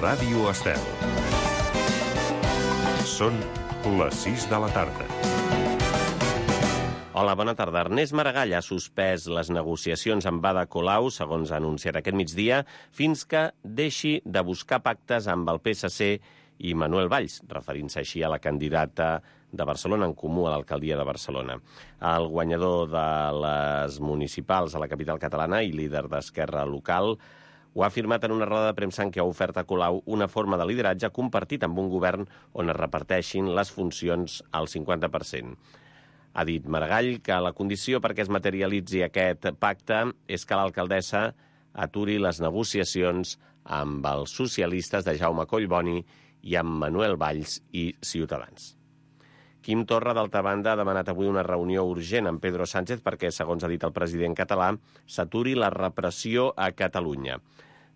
Ràdio Estel. Són les 6 de la tarda. Hola, bona tarda. Ernest Maragall ha suspès les negociacions amb Ada Colau, segons ha anunciat aquest migdia, fins que deixi de buscar pactes amb el PSC i Manuel Valls, referint-se així a la candidata de Barcelona en Comú a l'alcaldia de Barcelona. El guanyador de les municipals a la capital catalana i líder d'Esquerra local ho ha afirmat en una roda de premsa en què ha ofert a Colau una forma de lideratge compartit amb un govern on es reparteixin les funcions al 50%. Ha dit Maragall que la condició perquè es materialitzi aquest pacte és que l'alcaldessa aturi les negociacions amb els socialistes de Jaume Collboni i amb Manuel Valls i Ciutadans. Quim Torra, d'altra banda, ha demanat avui una reunió urgent amb Pedro Sánchez perquè, segons ha dit el president català, s'aturi la repressió a Catalunya.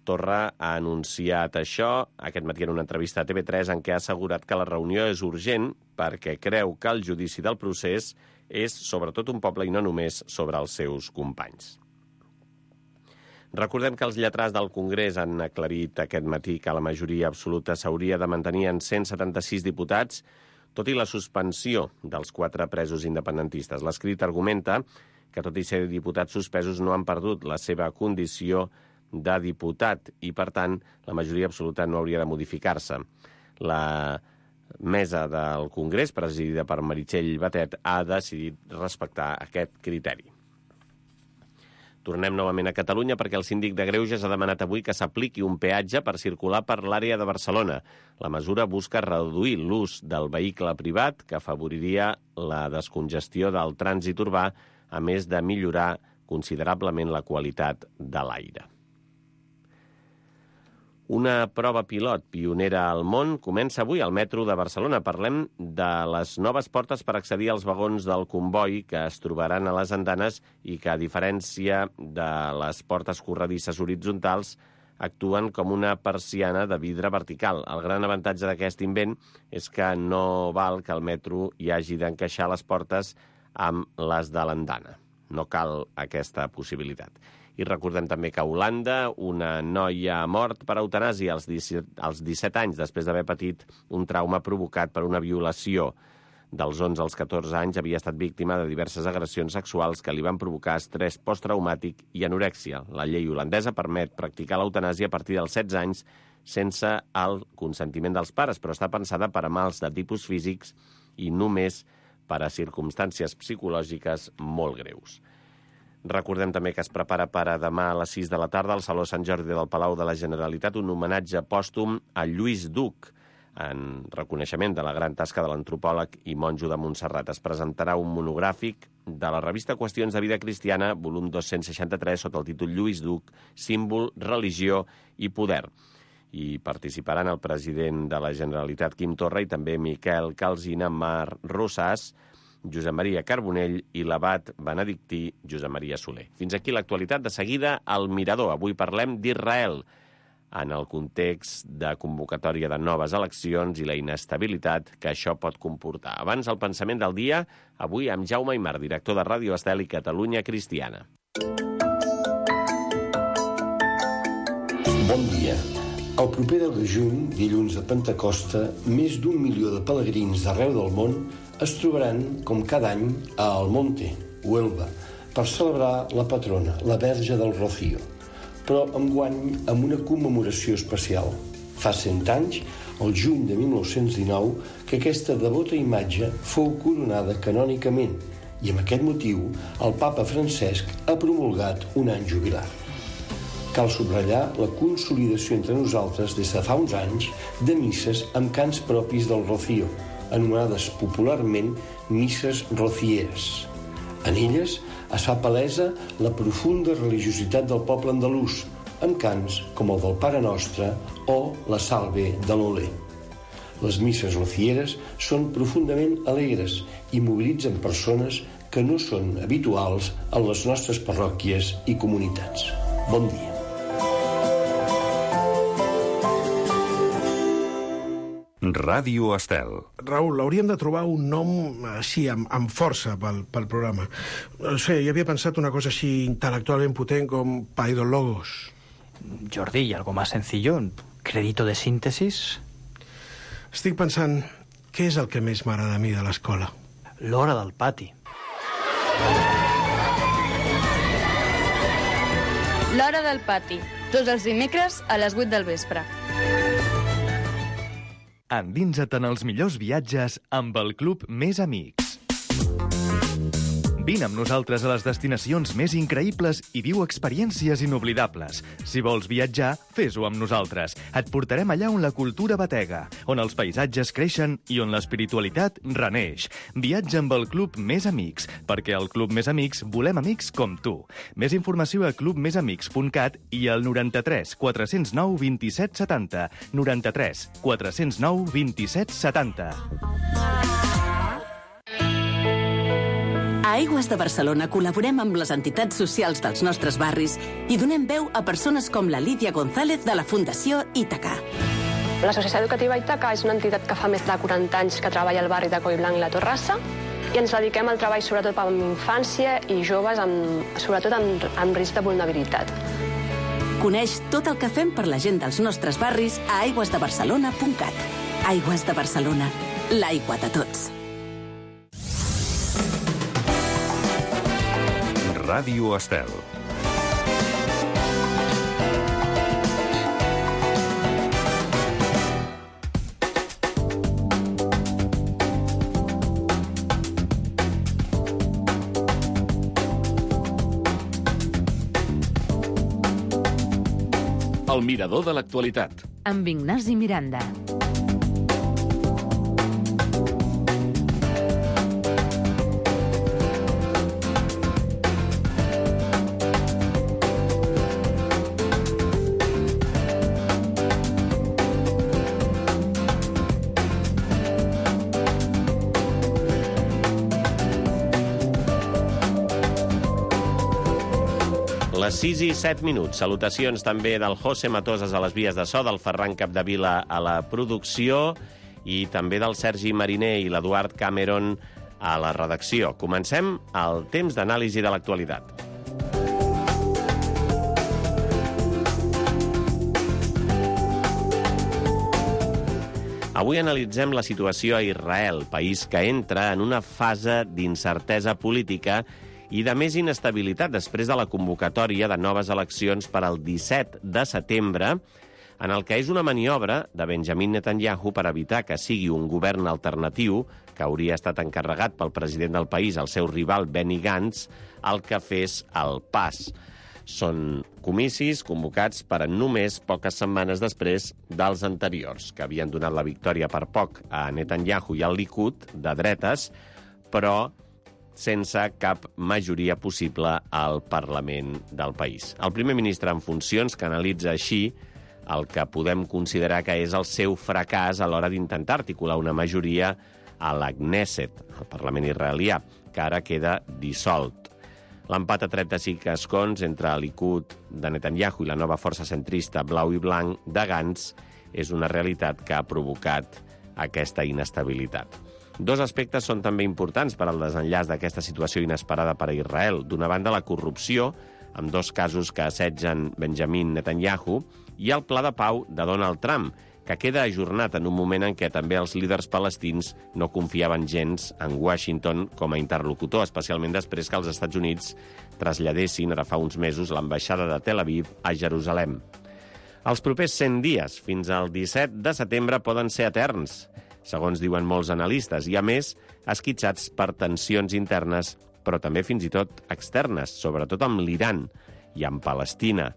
Torra ha anunciat això aquest matí en una entrevista a TV3 en què ha assegurat que la reunió és urgent perquè creu que el judici del procés és sobretot un poble i no només sobre els seus companys. Recordem que els lletrats del Congrés han aclarit aquest matí que la majoria absoluta s'hauria de mantenir en 176 diputats, tot i la suspensió dels 4 presos independentistes. L'escrit argumenta que, tot i ser diputats suspesos, no han perdut la seva condició de diputat i, per tant, la majoria absoluta no hauria de modificar-se. La mesa del Congrés, presidida per Meritxell Batet, ha decidit respectar aquest criteri. Tornem novament a Catalunya perquè el síndic de Greuges ha demanat avui que s'apliqui un peatge per circular per l'àrea de Barcelona. La mesura busca reduir l'ús del vehicle privat, que afavoriria la descongestió del trànsit urbà, a més de millorar considerablement la qualitat de l'aire. Una prova pilot pionera al món comença avui al metro de Barcelona. Parlem de les noves portes per accedir als vagons del comboi que es trobaran a les andanes i que, a diferència de les portes corredisses horitzontals, actuen com una persiana de vidre vertical. El gran avantatge d'aquest invent és que no val que el metro hi hagi d'encaixar les portes amb les de l'andana. No cal aquesta possibilitat. I recordem també que a Holanda una noia ha mort per eutanàsia als 17 anys després d'haver patit un trauma provocat per una violació. Dels 11 als 14 anys havia estat víctima de diverses agressions sexuals que li van provocar estrès posttraumàtic i anorèxia. La llei holandesa permet practicar l'eutanàsia a partir dels 16 anys sense el consentiment dels pares, però està pensada per a mals de tipus físics i només per a circumstàncies psicològiques molt greus. Recordem també que es prepara per a demà a les 6 de la tarda al Saló Sant Jordi del Palau de la Generalitat un homenatge pòstum a Lluís Duc, en reconeixement de la gran tasca de l'antropòleg i monjo de Montserrat. Es presentarà un monogràfic de la revista Qüestions de Vida Cristiana, volum 263, sota el títol Lluís Duc, símbol, religió i poder. I participaran el president de la Generalitat, Quim Torra, i també Miquel Calsina, Mar Rosàs, Josep Maria Carbonell i l'abat benedictí Josep Maria Soler. Fins aquí l'actualitat. De seguida, al Mirador. Avui parlem d'Israel en el context de convocatòria de noves eleccions i la inestabilitat que això pot comportar. Abans, el pensament del dia, avui amb Jaume Aymar, director de Ràdio Estel i Catalunya Cristiana. Bon dia. El proper 10 de juny, dilluns de Pentecosta, més d'1 milió de pelegrins d'arreu del món es trobaran, com cada any, a Almonte, Huelva, per celebrar la patrona, la Verge del Rocío, però enguany amb una commemoració especial. Fa 100 anys, el juny de 1919, que aquesta devota imatge fou coronada canònicament i amb aquest motiu el papa Francesc ha promulgat un any jubilar. Cal subratllar la consolidació entre nosaltres des de fa uns anys de misses amb cants propis del Rocío, anomenades popularment misses rocieres. En elles es fa palesa la profunda religiositat del poble andalús, amb cants com el del Pare Nostre o la Salve de l'Olé. Les misses rocieres són profundament alegres i mobilitzen persones que no són habituals en les nostres parròquies i comunitats. Bon dia. Ràdio Estel. Raül, hauríem de trobar un nom així, amb força pel programa. No sé, jo havia pensat una cosa així intel·lectualment potent com Paidologos. Jordi, y algo más sencillo. crédito de síntesis. Estic pensant, què és el que més m'agrada a mi de l'escola? L'hora del pati. L'hora del pati. Tots els dimecres a les 8 del vespre. Endinsa't en els millors viatges amb el Club Més Amics. Vine amb nosaltres a les destinacions més increïbles i viu experiències inoblidables. Si vols viatjar, fes-ho amb nosaltres. Et portarem allà on la cultura batega, on els paisatges creixen i on l'espiritualitat reneix. Viatja amb el Club Més Amics, perquè al Club Més Amics volem amics com tu. Més informació a clubmesamics.cat i al 93 409 27 70. 93 409 27 70. A Aigües de Barcelona col·laborem amb les entitats socials dels nostres barris i donem veu a persones com la Lídia González de la Fundació Ítaca. L'Associació Educativa Ítaca és una entitat que fa més de 40 anys que treballa al barri de Collblanc i la Torrassa i ens dediquem al treball sobretot amb infància i joves, sobretot amb risc de vulnerabilitat. Coneix tot el que fem per la gent dels nostres barris a aigüesdebarcelona.cat. Aigües de Barcelona, l'aigua de tots. Ràdio Estel. El mirador de l'actualitat. Amb Ignasi Miranda. Les 6 i 7 minuts. Salutacions també del José Matosas a les vies de so, del Ferran Capdevila a la producció i també del Sergi Mariner i l'Eduard Cameron a la redacció. Comencem el temps d'anàlisi de l'actualitat. Avui analitzem la situació a Israel, país que entra en una fase d'incertesa política i de més inestabilitat després de la convocatòria de noves eleccions per al 17 de setembre, en el que és una maniobra de Benjamin Netanyahu per evitar que sigui un govern alternatiu, que hauria estat encarregat pel president del país, el seu rival Benny Gantz, el que fes el pas. Són comicis convocats per només poques setmanes després dels anteriors, que havien donat la victòria per poc a Netanyahu i al Likud, de dretes, però sense cap majoria possible al Parlament del país. El primer ministre en funcions que analitza així el que podem considerar que és el seu fracàs a l'hora d'intentar articular una majoria a la Knesset, al Parlament israelià, que ara queda dissolt. L'empat a 35 escons entre el Likud de Netanyahu i la nova força centrista blau i blanc de Gantz és una realitat que ha provocat aquesta inestabilitat. Dos aspectes són també importants per al desenllaç d'aquesta situació inesperada per a Israel. D'una banda, la corrupció, amb 2 casos que assetgen Benjamin Netanyahu, i el pla de pau de Donald Trump, que queda ajornat en un moment en què també els líders palestins no confiaven gens en Washington com a interlocutor, especialment després que els Estats Units traslladessin ara fa uns mesos l'ambaixada de Tel Aviv a Jerusalem. Els propers 100 dies, fins al 17 de setembre, poden ser eterns, segons diuen molts analistes, i a més esquitxats per tensions internes, però també fins i tot externes, sobretot amb l'Iran i amb Palestina,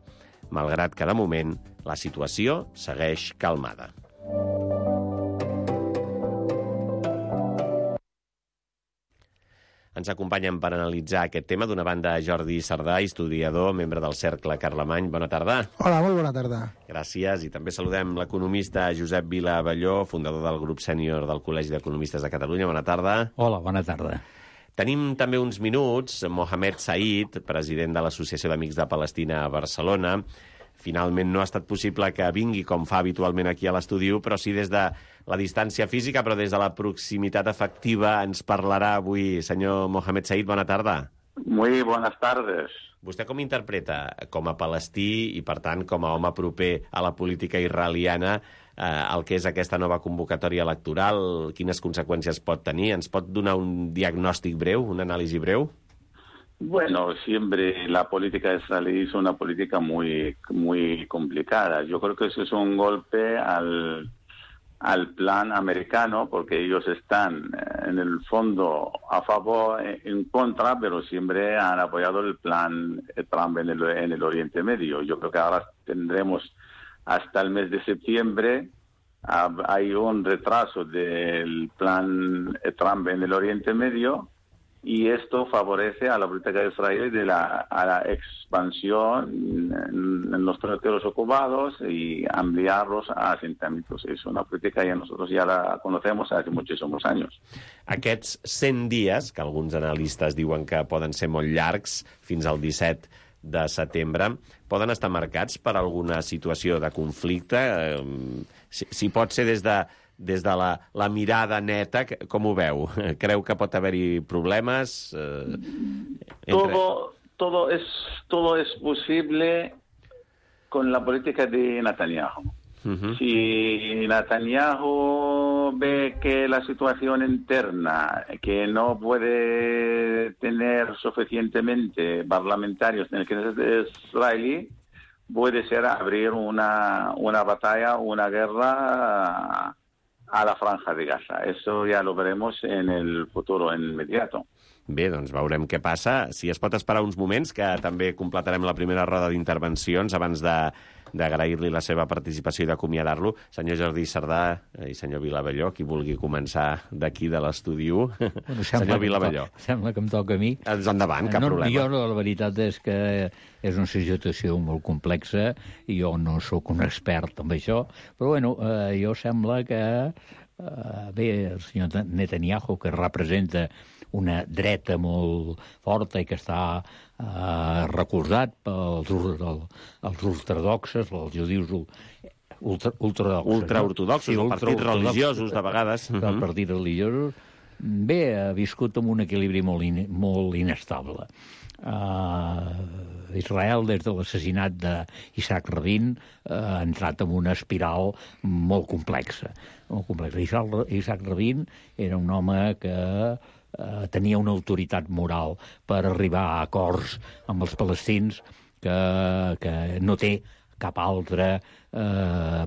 malgrat que de moment la situació segueix calmada. Ens acompanyen per analitzar aquest tema, d'una banda, Jordi Sardà, historiador, membre del Cercle Carlemany. Bona tarda. Hola, molt bona tarda. Gràcies. I també saludem l'economista Josep Vila Abelló, fundador del grup sènior del Col·legi d'Economistes de Catalunya. Bona tarda. Hola, bona tarda. Tenim també uns minuts Mohamed Said, president de l'Associació d'Amics de Palestina a Barcelona. Finalment no ha estat possible que vingui com fa habitualment aquí a l'estudi, però sí des de la distància física, però des de la proximitat efectiva ens parlarà avui. Senyor Mohamed Said, bona tarda. Muy buenas tardes. Vostè com interpreta, com a palestí i, per tant, com a home proper a la política israeliana, el que és aquesta nova convocatòria electoral? Quines conseqüències pot tenir? Ens pot donar un diagnòstic breu, una anàlisi breu? Bueno, siempre la política israelí es una política muy complicada. Yo creo que eso es un golpe al plan americano, porque ellos están en el fondo a favor, en contra, pero siempre han apoyado el plan Trump en el Oriente Medio. Yo creo que ahora tendremos hasta el mes de septiembre. Hay un retraso del plan Trump en el Oriente Medio, y esto favorece a la política de Israel a la expansión en los territorios ocupados y ampliarlos a asentamientos. Es una política que nosotros ya la conocemos hace muchísimos años. Aquests 100 dies, que alguns analistes diuen que poden ser molt llargs, fins al 17 de setembre, poden estar marcats per alguna situació de conflicte? Si pot ser des de la mirada neta, com ho veu? Creu que pot haver-hi problemes? Todo es posible con la política de Netanyahu. Si Netanyahu ve que la situación interna, que no puede tener suficientemente parlamentarios en el Knesset israelí, puede ser abrir una batalla, una guerra a la Franja de Gaza. Eso ya lo veremos en el futuro inmediato. Bé, doncs veurem què passa. Si es pot esperar uns moments, que també completarem la primera roda d'intervencions abans d'agrair-li la seva participació i d'acomiadar-lo. Senyor Jordi Cerdà i senyor Vilabelló, qui vulgui començar d'aquí de l'estudi 1. Bueno, senyor Vilabelló. Sembla que em toca a mi. Endavant, cap problema. Jo, la veritat és que és una situació molt complexa i jo no sóc un expert en això, però bueno, jo sembla que bé, el senyor Netanyahu, que representa una dreta molt forta i que està recolzat pels ultraortodoxes, els judius ultraortodoxos. Ultraortodoxos, els partits religiosos, de vegades. Els partits religiosos. Bé, ha viscut amb un equilibri molt inestable. Israel, des de l'assassinat d'Isaac Rabin, ha entrat en una espiral molt complexa. Isaac Rabin era un home que tenia una autoritat moral per arribar a acords amb els palestins que no té cap altre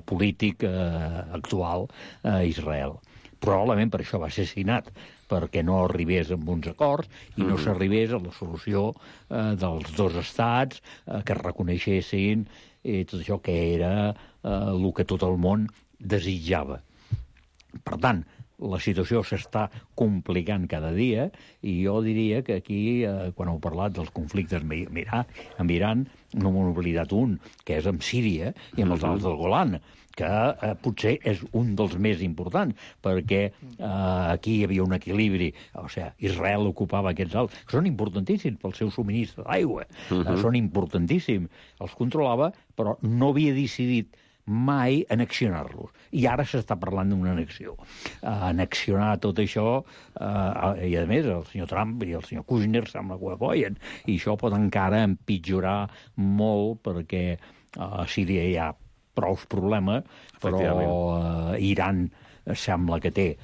polític actual a Israel. Probablement per això va ser assassinat, perquè no arribés amb uns acords i no s'arribés a la solució dels dos estats, que es reconeixessin tot això que era el que tot el món desitjava. Per tant, la situació s'està complicant cada dia i jo diria que aquí, quan heu parlat dels conflictes amb Iran, no m'he oblidat un, que és amb Síria i amb els alts del Golan, que potser és un dels més importants, perquè aquí hi havia un equilibri, o sigui, Israel ocupava aquests alts, que són importantíssims pel seu subministre d'aigua, són importantíssims, els controlava, però no havia decidit mai annexionar-los. I ara s'està parlant d'una annexió. Annexionar tot això, i a més el senyor Trump i el senyor Kushner sembla que ho apoyen, i això pot encara empitjorar molt, perquè a Síria hi ha prou problemes, però Iran sembla que té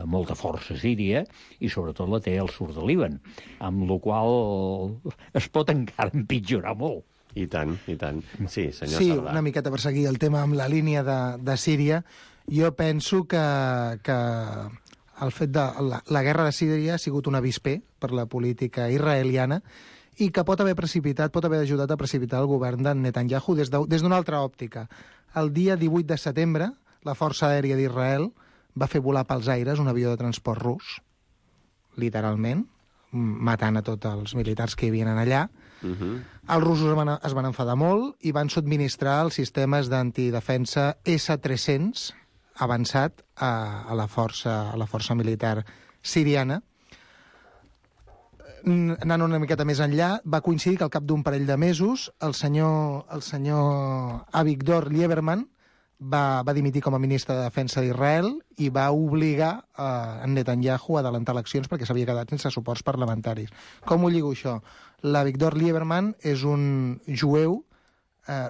molta força a Síria i sobretot la té al sud de Líban, amb la qual es pot encara empitjorar molt. I tant, i tant. Sí, senyor Sí, Cerdà. una miqueta per seguir el tema amb la línia de Síria. Jo penso que el fet de la guerra de Síria ha sigut un avispé per la política israeliana i que pot haver ajudat a precipitar el govern de Netanyahu des d'una altra òptica. El dia 18 de setembre, la Força Aèria d'Israel va fer volar pels aires un avió de transport rus, literalment, matant a tots els militars que hi havien allà. Els russos es van enfadar molt i van subministrar els sistemes d'antidefensa S-300 avançat a la força militar siriana. Anant una miqueta més enllà, va coincidir que al cap d'un parell de mesos el senyor Avigdor Lieberman va dimitir com a ministre de Defensa d'Israel i va obligar en Netanyahu a adelantar eleccions perquè s'havia quedat sense suports parlamentaris. Com ho lligo això? L'Avigdor Lieberman és un jueu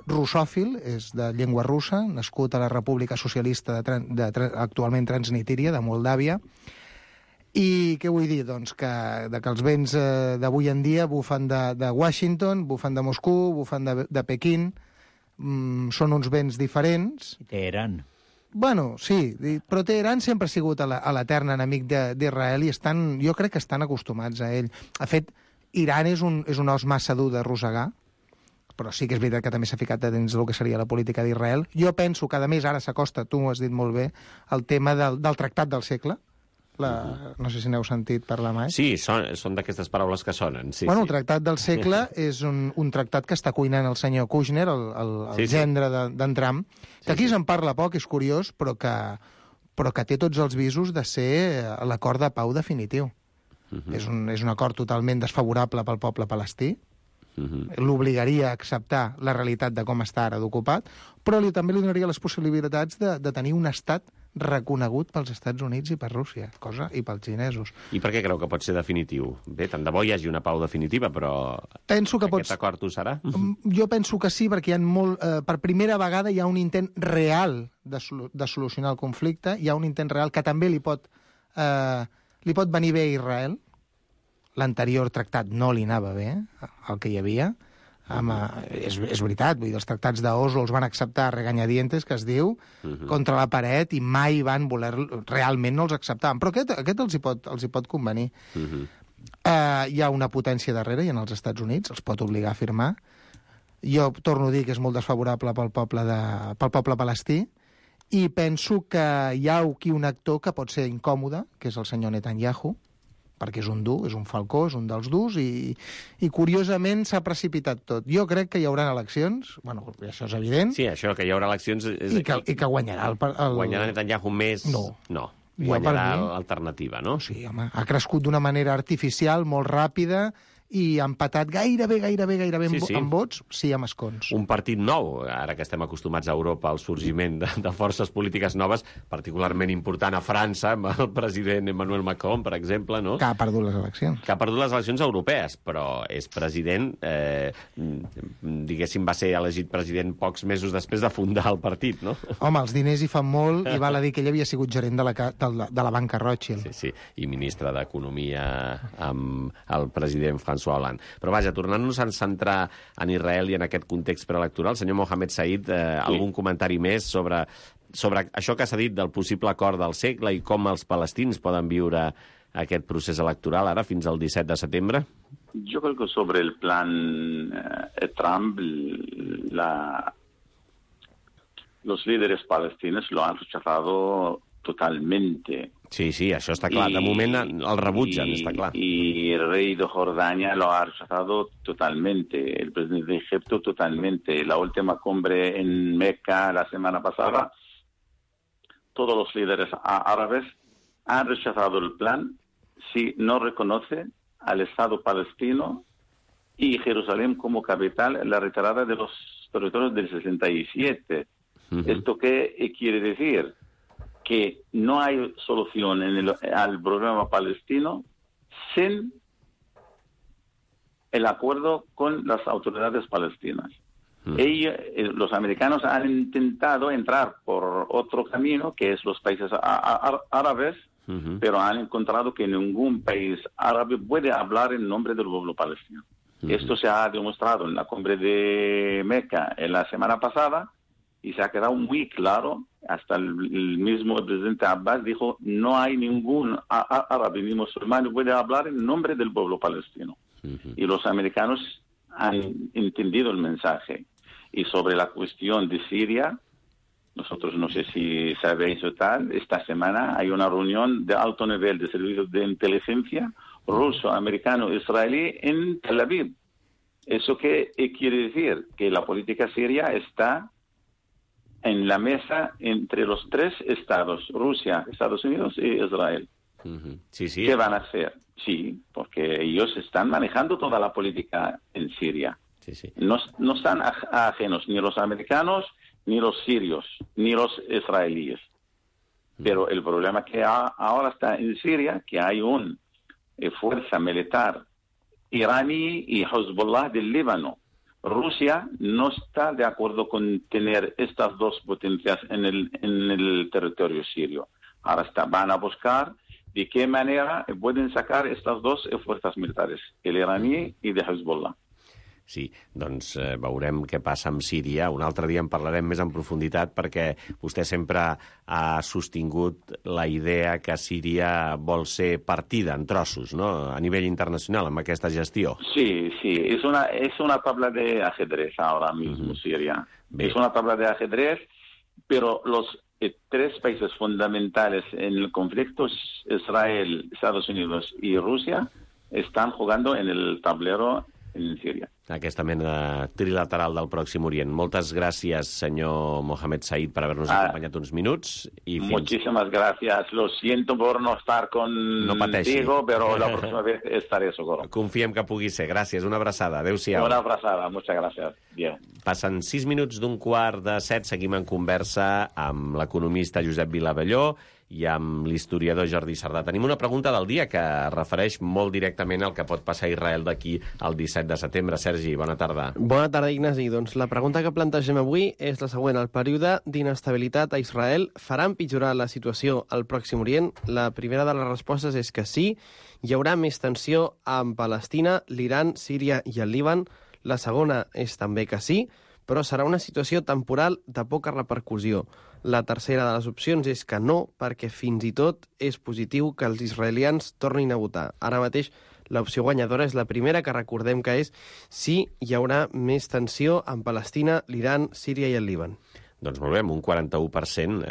russòfil, és de llengua russa, nascut a la República Socialista actualment Transnistria, de Moldàvia. I què vull dir? Doncs que els vents d'avui en dia bufen de Washington, bufen de Moscou, bufen de Pequín, són uns vents diferents. Teheran. Bueno, sí, però Teheran sempre ha sigut l'etern enemic d'Israel i jo crec que estan acostumats a ell. De fet, Iran és un os massa dur de rosegar, però sí que és veritat que també s'ha ficat dins del que seria la política d'Israel. Jo penso que, a més, ara s'acosta, tu m'ho has dit molt bé, el tema del tractat del segle. No sé si n'heu sentit parlar mai. Sí, són d'aquestes paraules que sonen. Sí, el tractat del segle és un tractat que està cuinant el senyor Kushner, el gendre d'en Trump, que aquí se'n parla poc, és curiós, però que té tots els visos de ser l'acord de pau definitiu. És un acord totalment desfavorable pel poble palestí, l'obligaria a acceptar la realitat de com està ara d'ocupat, però també li donaria les possibilitats de tenir un estat reconegut pels Estats Units i per Rússia, i pels xinesos. I per què creu que pot ser definitiu? Bé, tant de bo hi hagi una pau definitiva, però aquest acord ho serà? Jo penso que sí, perquè per primera vegada hi ha un intent real de solucionar el conflicte, hi ha un intent real que també li pot venir bé a Israel. L'anterior tractat no li anava bé, el que hi havia. És veritat, vull dir, els tractats d'Oslo els van acceptar a regañadientes, que es diu, contra la paret, i mai van voler... Realment no els acceptaven, però aquest els hi pot convenir. Hi ha una potència darrere, i en els Estats Units els pot obligar a firmar. Jo torno a dir que és molt desfavorable pel poble palestí, i penso que hi ha aquí un actor que pot ser incòmode, que és el senyor Netanyahu, perquè és un dur, és un falcó, és un dels durs, i curiosament s'ha precipitat tot. Jo crec que hi haurà eleccions, bueno, això és evident. Sí, això que hi haurà eleccions... I que guanyarà Guanyarà Netanyahu més... No. Guanyarà l'alternativa, no? Sí, home, ha crescut d'una manera artificial, molt ràpida, i ha empatat gairebé amb vots, sí, amb escons. Un partit nou, ara que estem acostumats a Europa al sorgiment de forces polítiques noves, particularment important a França, amb el president Emmanuel Macron, per exemple, no? Que ha perdut les eleccions. Que ha perdut les eleccions europees, però és president, diguéssim, va ser elegit president pocs mesos després de fundar el partit, no? Home, els diners hi fan molt, i val a dir que ell havia sigut gerent de la banca Rothschild. Sí, i ministre d'Economia amb el president François Hollande. Però vaja, tornant-nos a centrar en Israel i en aquest context preelectoral, senyor Mohamed Said, algun comentari més sobre això que s'ha dit del possible acord del segle i com els palestins poden viure aquest procés electoral ara fins al 17 de setembre? Yo creo que sobre el plan Trump, los líderes palestinos lo han rechazado totalmente. Sí, això està clar. De moment el rebutgen, està clar. Y el rey de Jordania lo ha rechazado totalmente. El presidente de Egipto totalmente. La última cumbre en Meca la semana pasada, todos los líderes árabes han rechazado el plan si no reconoce al Estado palestino y Jerusalén como capital la retirada de los territorios del 67. ¿Esto qué quiere decir? Que no hay solución al problema palestino sin el acuerdo con las autoridades palestinas. Los americanos han intentado entrar por otro camino, que es los países árabes, pero han encontrado que ningún país árabe puede hablar en nombre del pueblo palestino. Esto se ha demostrado en la cumbre de Meca la semana pasada, y se ha quedado muy claro, hasta el mismo presidente Abbas dijo, no hay ningún árabe ni musulmán que pueda hablar en nombre del pueblo palestino. Y los americanos han entendido el mensaje. Y sobre la cuestión de Siria, nosotros no sé si sabéis o tal, esta semana hay una reunión de alto nivel de servicios de inteligencia ruso, americano, israelí en Tel Aviv. ¿Eso qué quiere decir? Que la política siria está en la mesa entre los tres estados, Rusia, Estados Unidos y Israel. Sí. ¿Qué van a hacer? Sí, porque ellos están manejando toda la política en Siria. Sí. No están ajenos ni los americanos ni los sirios, ni los israelíes. Pero el problema que ahora está en Siria, que hay una fuerza militar iraní y Hezbollah del Líbano. Rusia no está de acuerdo con tener estas dos potencias en el territorio sirio. Ahora van a buscar de qué manera pueden sacar estas dos fuerzas militares, el iraní i de Hezbollah. Sí, doncs veurem què passa amb Síria. Un altre dia en parlarem més en profunditat perquè vostè sempre ha sostingut la idea que Síria vol ser partida en trossos, ¿no?, a nivell internacional, amb aquesta gestió. Sí, es una tabla de ajedrez ahora mismo, Siria. Es una tabla de ajedrez, pero los tres países fundamentales en el conflicto, Israel, Estados Unidos y Rusia, están jugando en el tablero en Síria. Aquesta mena trilateral del Pròxim Orient. Moltes gràcies, senyor Mohamed Said, per haver-nos acompanyat uns minuts. Muchísimas gracias. Lo siento por no estar contigo, pero la próxima vez estaré seguro. Confiem que pugui ser. Gràcies. Una abraçada. Adéu-siau. Una abraçada. Muchas gracias. Bien. Passen 6 minuts d'un quart de 7. Seguim en conversa amb l'economista Josep Vilavelló i amb l'historiador Jordi Sardà. Tenim una pregunta del dia que refereix molt directament al que pot passar a Israel d'aquí al 17 de setembre. Sergi, bona tarda. Bona tarda, Ignasi. Doncs la pregunta que plantegem avui és la següent. El període d'inestabilitat a Israel farà empitjorar la situació al Pròxim Orient? La primera de les respostes és que sí. Hi haurà més tensió amb Palestina, l'Iran, Síria i el Líban. La segona és també que sí, però serà una situació temporal de poca repercussió. La tercera de les opcions és que no, perquè fins i tot és positiu que els israelians tornin a votar. Ara mateix l'opció guanyadora és la primera, que recordem que és si hi haurà més tensió amb Palestina, l'Iran, Síria i el Líban. Doncs molt bé, amb un 41%.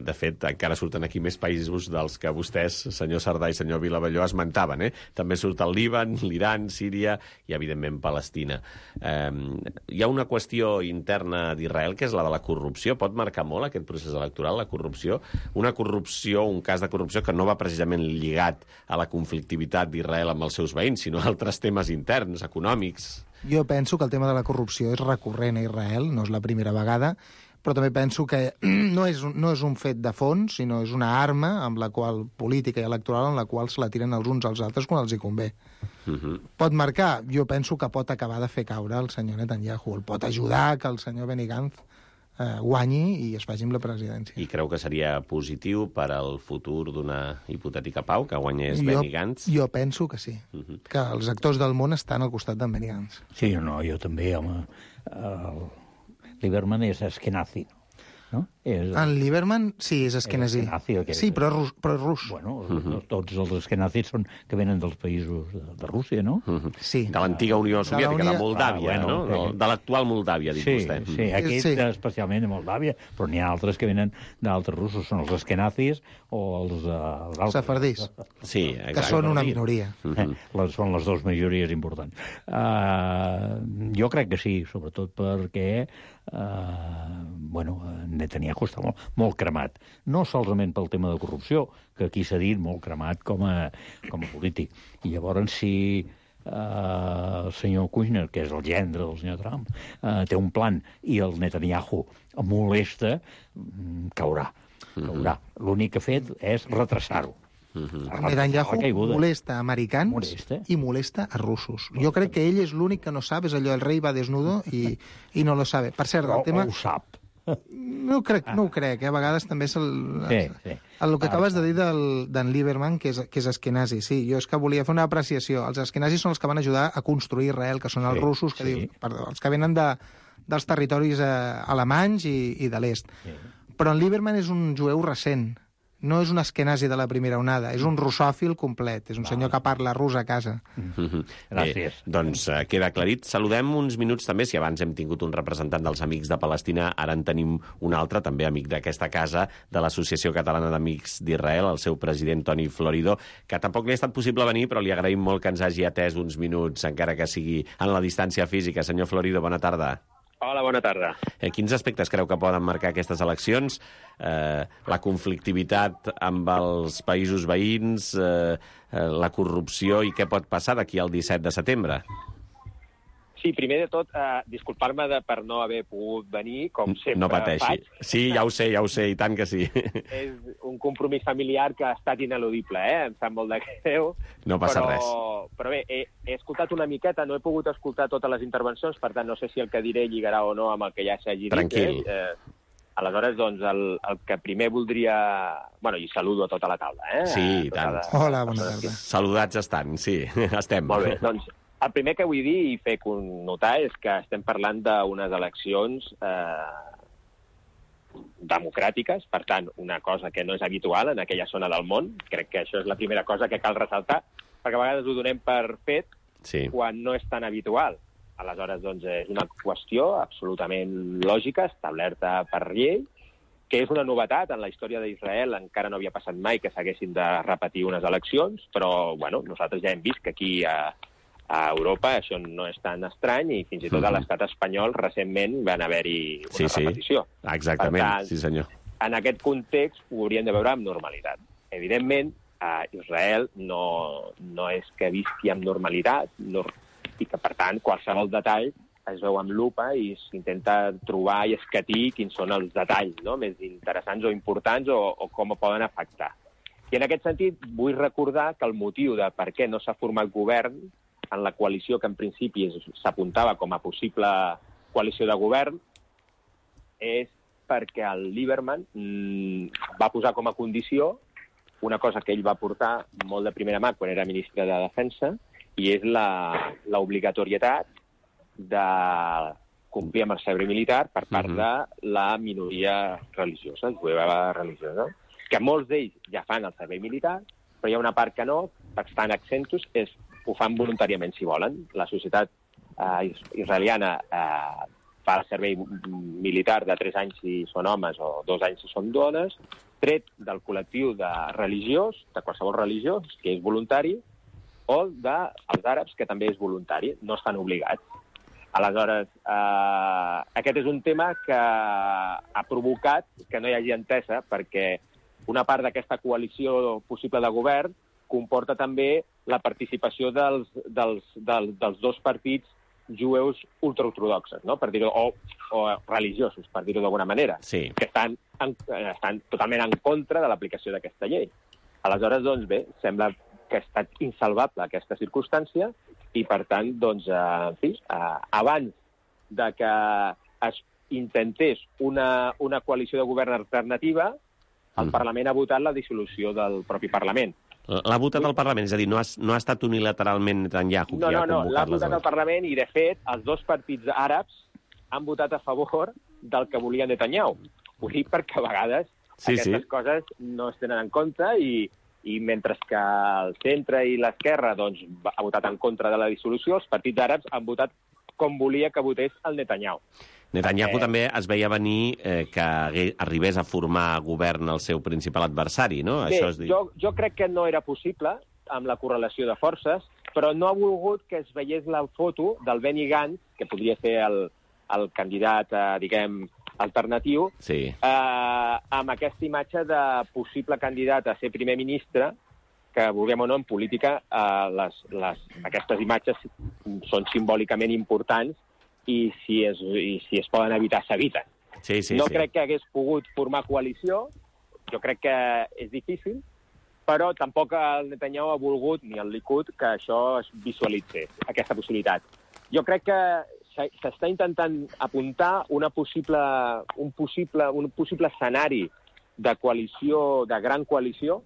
De fet, encara surten aquí més països dels que vostès, senyor Sardà i senyor Vilavelló, esmentaven. També surt el Líban, l'Iran, Síria i, evidentment, Palestina. Hi ha una qüestió interna d'Israel, que és la de la corrupció. Pot marcar molt aquest procés electoral, la corrupció? Una corrupció, un cas de corrupció que no va precisament lligat a la conflictivitat d'Israel amb els seus veïns, sinó a altres temes interns, econòmics. Jo penso que el tema de la corrupció és recurrent a Israel, no és la primera vegada, però també penso que no és un fet de fons, sinó és una arma amb la qual política i electoral en la qual se la tiren els uns als altres quan els hi convé. Pot marcar? Jo penso que pot acabar de fer caure el senyor Netanyahu, el pot ajudar que el senyor Benny Gantz guanyi i es faci amb la presidència. I creu que seria positiu per al futur d'una hipotètica pau, que guanyés Benny Gantz? Jo penso que sí, que els actors del món estan al costat d'en Benny Gantz. Sí, no, jo també, home. Lieberman és eskenazi, no? En Lieberman, sí, és eskenazi. Sí, però és rus. Bueno, tots els eskenazis són que venen dels països de Rússia, no? Sí. De l'antiga Unió Soviètica, de Moldàvia, no? De l'actual Moldàvia, dic vostè. Sí, aquest especialment de Moldàvia, però n'hi ha altres que venen d'altres russos. Són els eskenazis o els sefardís. Sí, que són una minoria. Són les dues majories importants. Jo crec que sí, sobretot perquè Netanyahu està molt cremat. No solament pel tema de corrupció, que aquí s'ha dit molt cremat com a polític. I llavors, si el senyor Kushner, que és el gendre del senyor Trump, té un plan i el Netanyahu molesta, caurà. L'únic que ha fet és retrasar-ho. Netanyahu molesta americans i molesta a russos. Jo crec que ell és l'únic que no sap, és allò, el rei va desnudo i no lo sabe. Per cert, el tema... ho sap. No ho crec, a vegades també és el que acabes de dir d'en Lieberman, que és eskenazi. Sí, jo és que volia fer una apreciació. Els eskenazis són els que van ajudar a construir Israel, que són els russos, els que venen dels territoris alemanys i de l'est. Però en Lieberman és un jueu recent. No és un eskenazi de la primera onada, és un russòfil complet, és un senyor que parla rus a casa. Gràcies. Doncs queda aclarit. Saludem uns minuts també, si abans hem tingut un representant dels Amics de Palestina, ara en tenim un altre, també amic d'aquesta casa, de l'Associació Catalana d'Amics d'Israel, el seu president Toni Florido, que tampoc li ha estat possible venir, però li agraïm molt que ens hagi atès uns minuts, encara que sigui en la distància física. Senyor Florido, bona tarda. Hola, bona tarda. Quins aspectes creu que poden marcar aquestes eleccions? La conflictivitat amb els països veïns, la corrupció i què pot passar d'aquí al 17 de setembre? Sí, primer de tot, disculpar-me per no haver pogut venir, com sempre no pateixi. faig. Sí, ja ho sé, i tant que sí. És un compromís familiar que ha estat ineludible, em sap molt de greu. No passa res. Però bé, he escoltat una miqueta, no he pogut escoltar totes les intervencions, per tant, no sé si el que diré lligarà o no amb el que ja s'hagi dit. Tranquil. Aleshores, doncs, el que primer voldria... Bueno, i saludo a tota la taula, Sí, i tant. Hola, bona tarda. Saludats estan, sí, estem. Molt bé, doncs, el primer que vull dir i fer notar és que estem parlant d'unes eleccions democràtiques, per tant, una cosa que no és habitual en aquella zona del món. Crec que això és la primera cosa que cal ressaltar, perquè a vegades ho donem per fet quan no és tan habitual. Aleshores, doncs, és una qüestió absolutament lògica, establerta per llei, que és una novetat en la història d'Israel. Encara no havia passat mai que s'haguessin de repetir unes eleccions, però bueno, nosaltres ja hem vist que aquí a Europa això no és tan estrany i fins i tot a l'estat espanyol recentment van haver-hi una repetició. Exactament, per tant, sí senyor. En aquest context ho hauríem de veure amb normalitat. Evidentment, a Israel no és que visqui amb normalitat i que, per tant, qualsevol detall es veu amb lupa i s'intenta trobar i escatir quins són els detalls més interessants o importants o com poden afectar. I en aquest sentit vull recordar que el motiu de per què no s'ha format govern en la coalició que en principi s'apuntava com a possible coalició de govern és perquè el Lieberman va posar com a condició una cosa que ell va portar molt de primera mà quan era ministre de Defensa, i és l'obligatorietat de complir amb el servei militar per part de la minoria religiosa, jueva religiosa, que molts d'ells ja fan el servei militar, però hi ha una part que no, estan exentos, ho fan voluntàriament si volen. La societat israeliana fa el servei militar de 3 anys si són homes o 2 anys si són dones, tret del col·lectiu de religiós, de qualsevol religió, que és voluntari, o dels àrabs, que també és voluntari, no estan obligats. Aleshores, aquest és un tema que ha provocat que no hi hagi entesa, perquè una part d'aquesta coalició possible de govern comporta també la participació dels 2 partits jueus ultraortodoxes, no? Per dir-ho, o religiosos, per dir-ho d'alguna manera, que estan totalment en contra de l'aplicació d'aquesta llei. Aleshores, doncs bé, sembla que ha estat insalvable aquesta circumstància i, per tant, doncs, en fi, abans de que es intentés una coalició de govern alternativa, el Parlament ha votat la dissolució del propi Parlament. L'ha votat el Parlament? És a dir, no ha estat unilateralment Netanyahu qui ha convocat les eleccions? No, l'ha votat el Parlament i, de fet, els 2 partits àrabs han votat a favor del que volia Netanyahu. Ho dic perquè a vegades aquestes coses no es tenen en compte i mentre que el centre i l'esquerra doncs, ha votat en contra de la dissolució, els partits àrabs han votat com volia que votés el Netanyahu. Netanyahu també es veia venir que arribés a formar govern el seu principal adversari, no? Bé, jo crec que no era possible amb la correlació de forces, però no ha volgut que es veiés la foto del Benny Gantz, que podria ser el candidat, diguem, alternatiu, amb aquesta imatge de possible candidat a ser primer ministre, que, vulguem o no, en política aquestes imatges són simbòlicament importants i si es poden evitar, s'eviten. No crec que hagués pogut formar coalició, jo crec que és difícil, però tampoc el Netanyahu ha volgut, ni el Likud, que això es visualitzés, aquesta possibilitat. Jo crec que s'està intentant apuntar un possible escenari de coalició, de gran coalició,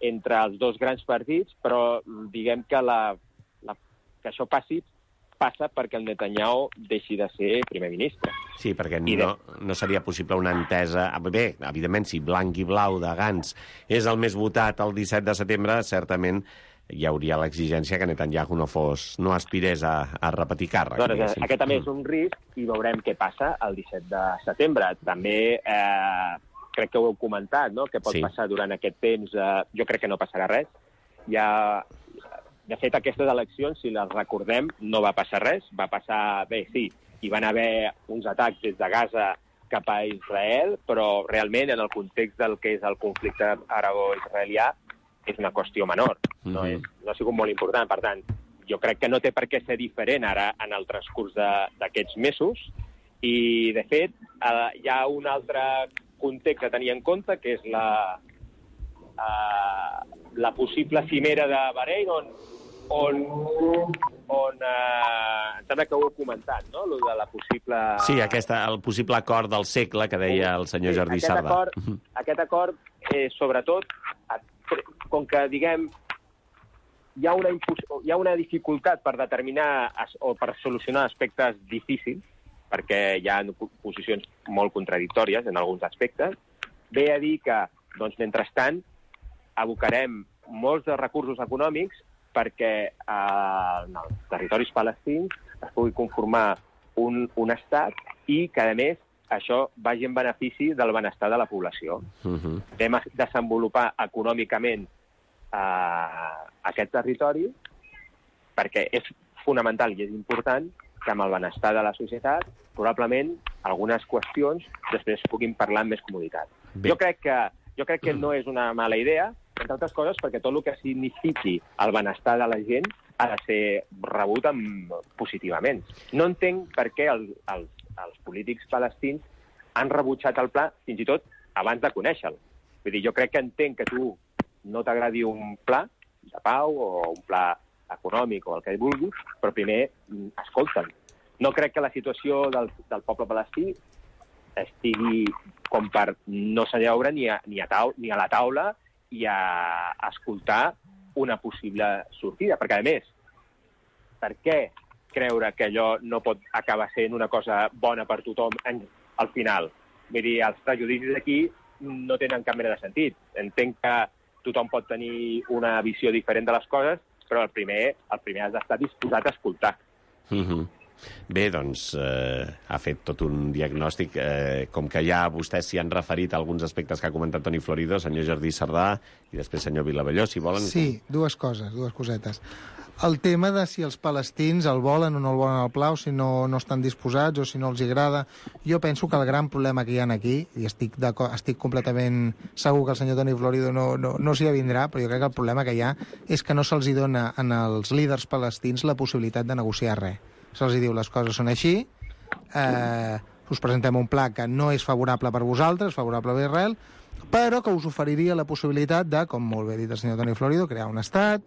entre els 2 grans partits, però diguem que això passa perquè el Netanyahu deixi de ser primer ministre. Sí, perquè no seria possible una entesa... Bé, evidentment, si blanc i blau de Gantz és el més votat el 17 de setembre, certament hi hauria l'exigència que Netanyahu no aspirés a repetir càrrec. Doncs aquest també és un risc i veurem què passa el 17 de setembre. També crec que ho heu comentat, no? Què pot passar durant aquest temps. Jo crec que no passarà res. De fet, aquestes eleccions, si les recordem, no va passar res. Va passar, bé, sí, hi van haver uns atacs des de Gaza cap a Israel, però realment en el context del que és el conflicte arabo-israelià és una qüestió menor. No ha sigut molt important. Per tant, jo crec que no té per què ser diferent ara en el transcurs d'aquests mesos, i, de fet, hi ha un altre context a tenir en compte, que és la possible cimera de Bahrein, on em sembla que ho he comentat, no?, lo de la possible... Sí, el possible acord del segle que deia el senyor Jordi Sardà. Aquest acord, sobretot, com que, diguem, hi ha una dificultat per determinar o per solucionar aspectes difícils, perquè hi ha posicions molt contradictòries en alguns aspectes, ve a dir que, doncs, mentrestant, abocarem molts de recursos econòmics perquè en els territoris palestins es pugui conformar un estat i que, a més, això vagi en benefici del benestar de la població. Anem a desenvolupar econòmicament aquest territori perquè és fonamental i és important que amb el benestar de la societat probablement algunes qüestions després puguin parlar amb més comoditat. Jo crec que no és una mala idea, entre altres coses perquè tot el que signifiqui el benestar de la gent ha de ser rebut positivament. No entenc per què els polítics palestins han rebutjat el pla fins i tot abans de conèixer-lo. Vull dir, jo crec que entenc que tu no t'agradi un pla de pau o un pla econòmic o el que vulguis, però primer escolta'm. No crec que la situació del poble palestí estigui com per no seure ni a la taula i a escoltar una possible sortida. Perquè, a més, per què creure que allò no pot acabar sent una cosa bona per tothom al final? Vull dir, els prejudicis aquí no tenen cap mena de sentit. Entenc que tothom pot tenir una visió diferent de les coses, però el primer has d'estar disposat a escoltar. Bé, doncs, ha fet tot un diagnòstic. Com que ja vostès s'hi han referit a alguns aspectes que ha comentat Toni Florido, senyor Jordi Sardà i després senyor Vilavelló, si volen... Sí, dues cosetes. El tema de si els palestins el volen o no el volen al pla, o si no estan disposats, o si no els agrada. Jo penso que el gran problema que hi ha aquí, i estic completament segur que el senyor Toni Florido no s'hi avindrà, però jo crec que el problema que hi ha és que no se'ls dona als líders palestins la possibilitat de negociar res. Se'ls diu les coses són així, us presentem un pla que no és favorable per vosaltres, favorable per Israel, però que us oferiria la possibilitat de, com molt bé ha dit el senyor Toni Florido, crear un estat,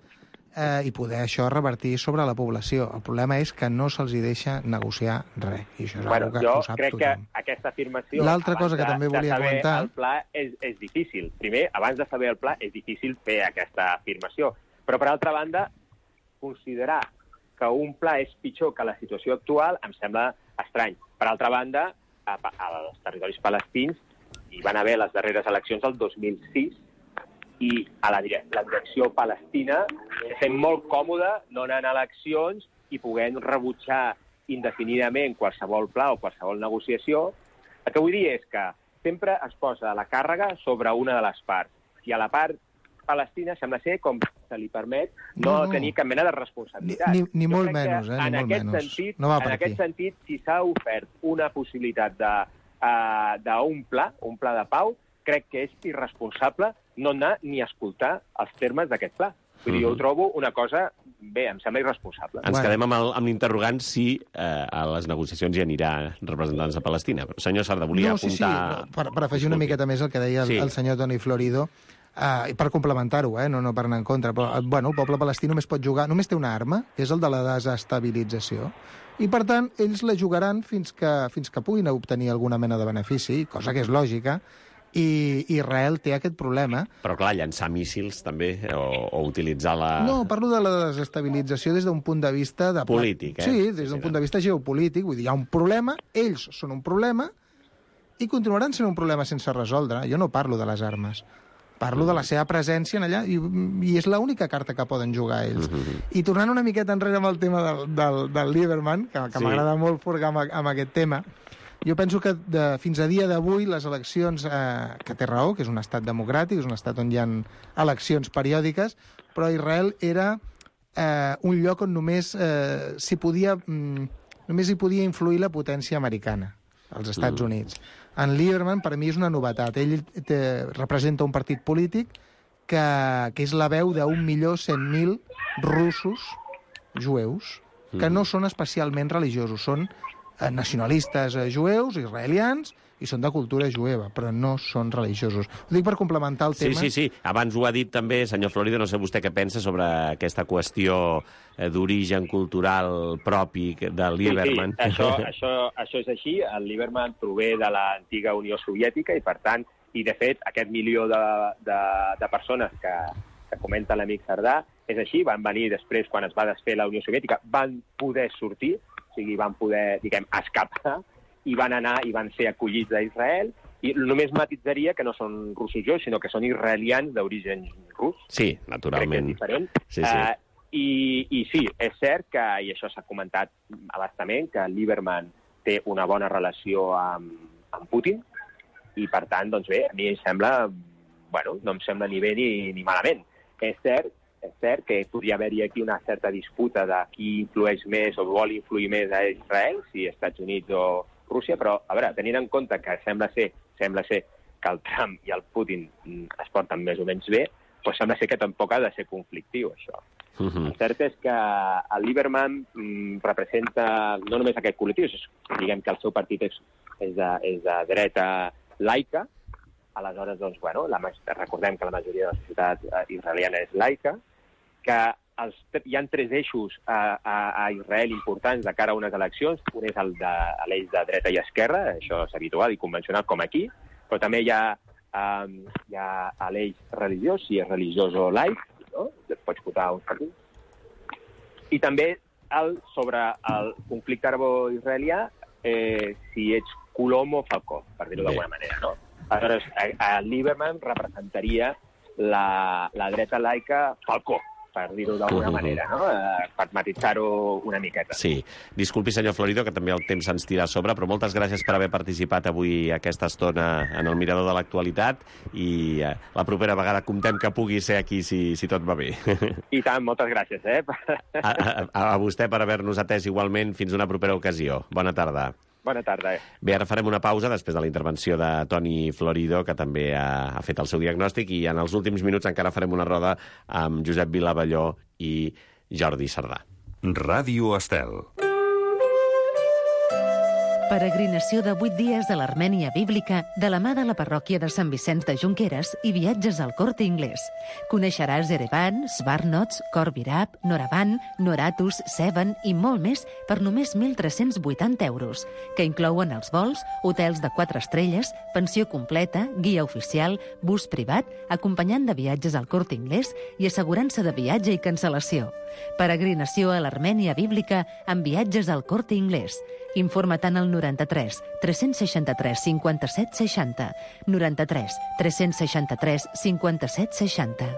i poder això revertir sobre la població. El problema és que no se'ls deixa negociar res. I això és bueno, que jo ho sap crec tothom. Que aquesta afirmació... L'altra cosa que també volia comentar... el pla és difícil. Primer, abans de saber el pla, és difícil fer aquesta afirmació. Però, per altra banda, considerar que un pla és pitjor que la situació actual em sembla estrany. Per altra banda, als territoris palestins hi van haver les darreres eleccions del 2006 i a la direcció palestina sent molt còmode no anant a eleccions i podent rebutjar indefinidament qualsevol pla o qualsevol negociació. El que vull dir és que sempre es posa la càrrega sobre una de les parts. I a la part palestina sembla ser com se li permet no tenir cap mena de responsabilitat. Ni molt menys, en aquest sentit, si s'ha ofert una possibilitat d'un pla de pau, crec que és irresponsable no anar ni a escoltar els termes d'aquest pla. Vull dir, jo ho trobo una cosa, bé, em sembla irresponsable. Ens quedem amb l'interrogant si a les negociacions hi anirà representants de Palestina. Però, senyor Sardà, volia apuntar... Sí. Per afegir una miqueta més el que deia el senyor Toni Florido, per complementar-ho, no per anar en contra, però el poble palestí només pot jugar, només té una arma, que és el de la desestabilització, i per tant ells la jugaran fins que puguin obtenir alguna mena de benefici, cosa que és lògica, i Israel té aquest problema. Però clar, llançar míssils també, o utilitzar la... No, parlo de la desestabilització des d'un punt de vista... polític, Sí, des d'un punt de vista geopolític, vull dir, hi ha un problema, ells són un problema, i continuaran sent un problema sense resoldre. Jo no parlo de les armes. Parlo de la seva presència en allà i és l'única carta que poden jugar ells. I tornant una miqueta enrere amb el tema del Lieberman, que m'agrada molt furgar amb aquest tema, jo penso que fins a dia d'avui les eleccions, que té raó, que és un estat democràtic, és un estat on hi ha eleccions periòdiques, però Israel era un lloc on només hi podia influir la potència americana, els Estats Units. En Lieberman, per mi, és una novetat. Ell representa un partit polític que és la veu d'1.100.000 russos jueus que no són especialment religiosos, són nacionalistes jueus, israelians, i són de cultura jueva, però no són religiosos. Ho dic per complementar el tema. Sí. Abans ho ha dit també, senyor Florido, no sé vostè què pensa sobre aquesta qüestió d'origen cultural propi de Lieberman. Sí, això és així. El Lieberman prové de l'antiga Unió Soviètica i, per tant, i de fet, aquest milió de persones que comenta l'amic Cerdà, és així, van venir després, quan es va desfer la Unió Soviètica, van poder sortir, o sigui, van poder, escapar, i van anar i van ser acollits a Israel, i només matitzaria que no són russos jueus, sinó que són israelians d'origen rus. Sí, naturalment. Crec que és diferent. I sí, és cert que, i això s'ha comentat a bastament, que Lieberman té una bona relació amb Putin, i per tant, doncs bé, a mi em sembla, no em sembla ni bé ni malament. És cert que podria haver-hi aquí una certa disputa de qui influeix més o vol influir més a Israel, si Estats Units o Rússia, però, a veure, tenint en compte que sembla ser que el Trump i el Putin es porten més o menys bé, doncs sembla ser que tampoc ha de ser conflictiu, això. El cert és que el Lieberman representa no només aquest col·lectiu, diguem que el seu partit és de dreta laica, aleshores, doncs, recordem que la majoria de la societat israeliana és laica, que hi ha 3 eixos a Israel importants de cara a unes eleccions. Un és l'eix de dreta i esquerra, això és habitual i convencional com aquí, però també hi ha l'eix religiós, si és religiós o laic, no? Pots votar uns partits. I també sobre el conflicte arabo-israelià, si ets colom o falcó, per dir-ho d'alguna manera, no? Aleshores, el Lieberman representaria la dreta laica falcó, per dir-ho d'alguna manera, no? Per matitzar-ho una miqueta. Sí. Disculpi, senyor Florido, que també el temps se'ns tira a sobre, però moltes gràcies per haver participat avui aquesta estona en el Mirador de l'Actualitat i la propera vegada comptem que pugui ser aquí si tot va bé. I tant, moltes gràcies, A vostè per haver-nos atès igualment. Fins una propera ocasió. Bona tarda. Bona tarda. Bé, ara farem una pausa després de la intervenció de Toni Florido, que també ha fet el seu diagnòstic, i en els últims minuts encara farem una roda amb Josep Vilavalló i Jordi Cerdà. Ràdio Estel. Peregrinació de 8 dies a l'Armènia bíblica de la mà de la parròquia de Sant Vicenç de Junqueres i viatges al Corte Inglés. Coneixeràs Erevan, Svarnots, Khor Virab, Noravan, Noratus, Sevan i molt més per només 1.380 euros, que inclouen els vols, hotels de 4 estrelles, pensió completa, guia oficial, bus privat, acompanyant de viatges al Corte Inglés i assegurança de viatge i cancel·lació. Peregrinació a l'Armènia bíblica amb viatges al Corte Inglés. Informa't al 93 363 57 60, 93 363 57 60.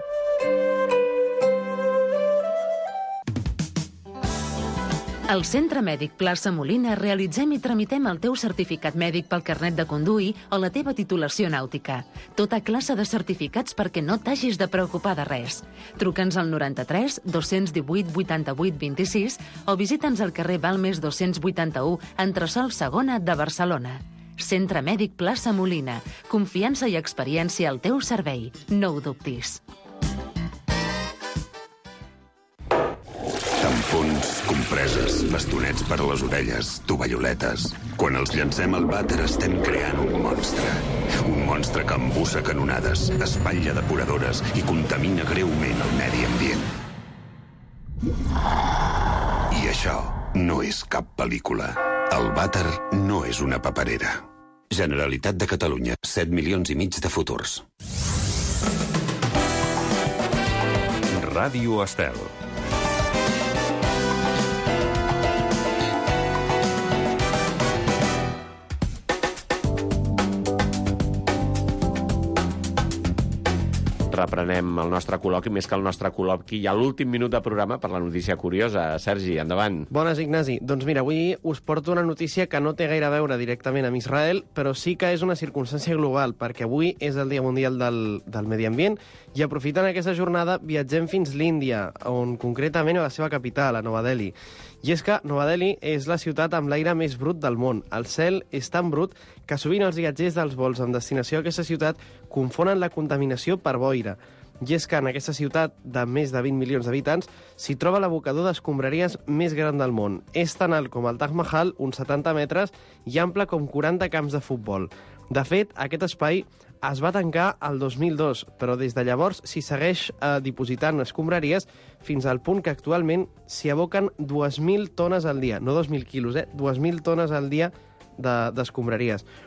Al Centre Mèdic Plaça Molina realitzem i tramitem el teu certificat mèdic pel carnet de conduir o la teva titulació nàutica. Tota classe de certificats perquè no t'hagis de preocupar de res. Truca'ns al 93 218 88 26 o visita'ns al carrer Balmes 281, entresòl Segona de Barcelona. Centre Mèdic Plaça Molina. Confiança i experiència al teu servei. No ho dubtis. Tampons, compreses, bastonets per a les orelles, tovalloletes... Quan els llancem al vàter estem creant un monstre. Un monstre que embussa canonades, espatlla depuradores i contamina greument el medi ambient. I això no és cap pel·lícula. El vàter no és una paperera. Generalitat de Catalunya, 7,5 milions de futurs. Ràdio Estel. Reprenem el nostre col·loqui, més que el nostre col·loqui. Hi ha l'últim minut de programa per la notícia curiosa. Sergi, endavant. Bones, Ignasi. Doncs mira, avui us porto una notícia que no té gaire a veure directament amb Israel, però sí que és una circumstància global, perquè avui és el Dia Mundial del Medi Ambient i aprofitant aquesta jornada viatgem fins l'Índia, on concretament a la seva capital, a Nova Delhi. I és que Nova Delhi és la ciutat amb l'aire més brut del món. El cel és tan brut que sovint els viatgers dels vols amb destinació a aquesta ciutat confonen la contaminació per boira. I és que en aquesta ciutat de més de 20 milions d'habitants s'hi troba l'abocador d'escombraries més gran del món. És tan alt com el Taj Mahal, uns 70 metres, i ample com 40 camps de futbol. De fet, aquest espai es va tancar el 2002, però des de llavors s'hi segueix dipositant escombraries fins al punt que actualment s'hi aboquen 2.000 tones al dia. No 2.000 quilos, 2.000 tones al dia d'escombraries.